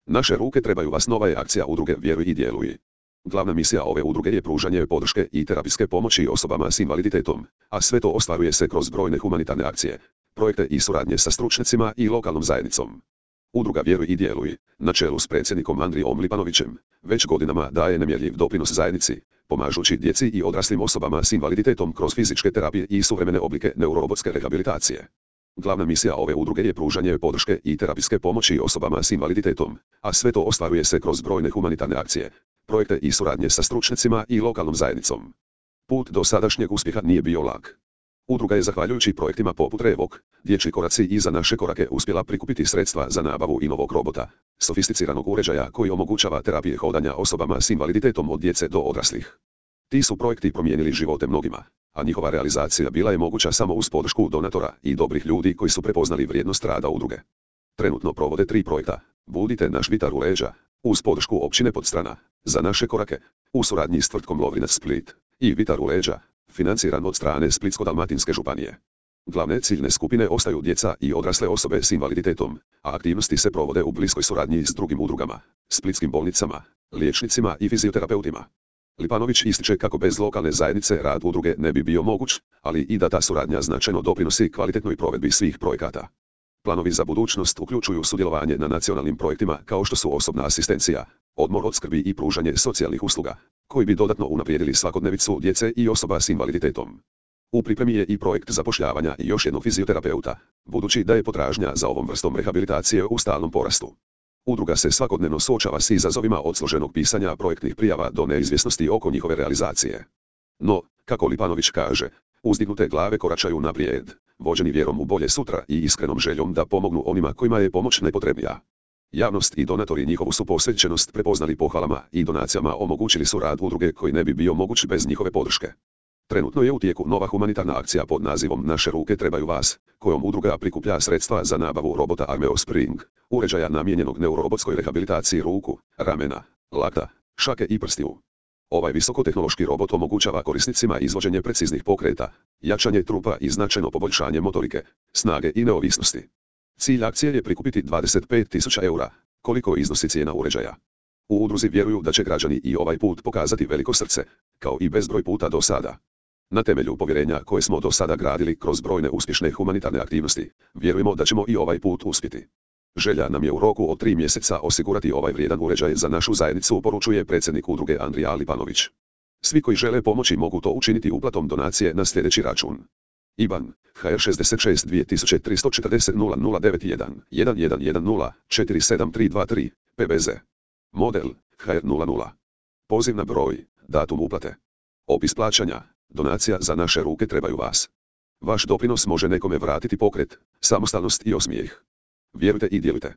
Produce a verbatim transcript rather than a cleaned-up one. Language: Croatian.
Naše ruke trebaju vas. Nova je akcija udruge Vjeruj i djeluj. Glavna misija ove udruge je pružanje podrške i terapijske pomoći osobama s invaliditetom, a sve to ostvaruje se kroz brojne humanitarne akcije, projekte i suradnje sa stručnjacima i lokalnom zajednicom. Udruga Vjeruj i djeluj, na čelu s predsjednikom Andrijom Lipanovićem, već godinama daje nemjerljiv doprinos zajednici, pomažući djeci i odraslim osobama s invaliditetom kroz fizičke terapije i suvremene oblike neurorobotske rehabilitacije. Glavna misija ove udruge je pružanje podrške i terapijske pomoći osobama s invaliditetom, a sve to ostvaruje se kroz brojne humanitarne akcije, projekte i suradnje sa stručnjacima i lokalnom zajednicom. Put do sadašnjeg uspjeha nije bio lak. Udruga je zahvaljujući projektima poput Revok, Dječji koraci i Za naše korake uspjela prikupiti sredstva za nabavu i novog robota, sofisticiranog uređaja koji omogućava terapije hodanja osobama s invaliditetom od djece do odraslih. Ti su projekti promijenili živote mnogima, a njihova realizacija bila je moguća samo uz podršku donatora i dobrih ljudi koji su prepoznali vrijednost rada udruge. Trenutno provode tri projekta: Budite naš vitar u leđa, uz podršku općine Podstrana, Za naše korake, u suradnji s tvrtkom Lovrinac Split, i Vitar u leđa, financiran od strane Splitsko-dalmatinske županije. Glavne ciljne skupine ostaju djeca i odrasle osobe s invaliditetom, a aktivnosti se provode u bliskoj suradnji s drugim udrugama, splitskim bolnicama, liječnicima i fizioterapeutima. Lipanović ističe kako bez lokalne zajednice rad udruge ne bi bio moguć, ali i da ta suradnja značajno doprinosi kvalitetnoj provedbi svih projekata. Planovi za budućnost uključuju sudjelovanje na nacionalnim projektima kao što su osobna asistencija, odmor od skrbi i pružanje socijalnih usluga, koji bi dodatno unaprijedili svakodnevicu djece i osoba s invaliditetom. U pripremi je i projekt zapošljavanja još jednog fizioterapeuta, budući da je potražnja za ovom vrstom rehabilitacije u stalnom porastu. Udruga se svakodnevno suočava s izazovima od složenog pisanja projektnih prijava do neizvjesnosti oko njihove realizacije. No, kako Lipanović kaže, uzdignute glave koračaju naprijed, vođeni vjerom u bolje sutra i iskrenom željom da pomognu onima kojima je pomoć najpotrebnija. Javnost i donatori njihovu su posvećenost prepoznali pohvalama i donacijama, omogućili su rad udruge koji ne bi bio moguć bez njihove podrške. Trenutno je u tijeku nova humanitarna akcija pod nazivom Naše ruke trebaju vas, kojom udruga prikuplja sredstva za nabavu robota Armeo Spring, uređaja namijenjenog neurorobotskoj rehabilitaciji ruku, ramena, lakta, šake i prstiju. Ovaj visokotehnološki robot omogućava korisnicima izvođenje preciznih pokreta, jačanje trupa i značajno poboljšanje motorike, snage i neovisnosti. Cilj akcije je prikupiti dvadeset pet tisuća eura, koliko iznosi cijena uređaja. U udruzi vjeruju da će građani i ovaj put pokazati veliko srce, kao i bezbroj puta do sada. Na temelju povjerenja koje smo do sada gradili kroz brojne uspješne humanitarne aktivnosti, vjerujemo da ćemo i ovaj put uspjeti. Želja nam je u roku od tri mjeseca osigurati ovaj vrijedan uređaj za našu zajednicu, poručuje predsjednik udruge Andrija Lipanović. Svi koji žele pomoći mogu to učiniti uplatom donacije na sljedeći račun: I B A N H R šezdeset šest dvije tisuće tristo četrdeset nula nula devet jedan jedan jedan jedan nula četiri sedam tri dva tri P B Z. Model H R nula nula. Pozivna broj, datum uplate. Opis plaćanja: donacija Za naše ruke trebaju vas. Vaš doprinos može nekome vratiti pokret, samostalnost i osmijeh. Vjerujte i djelujte.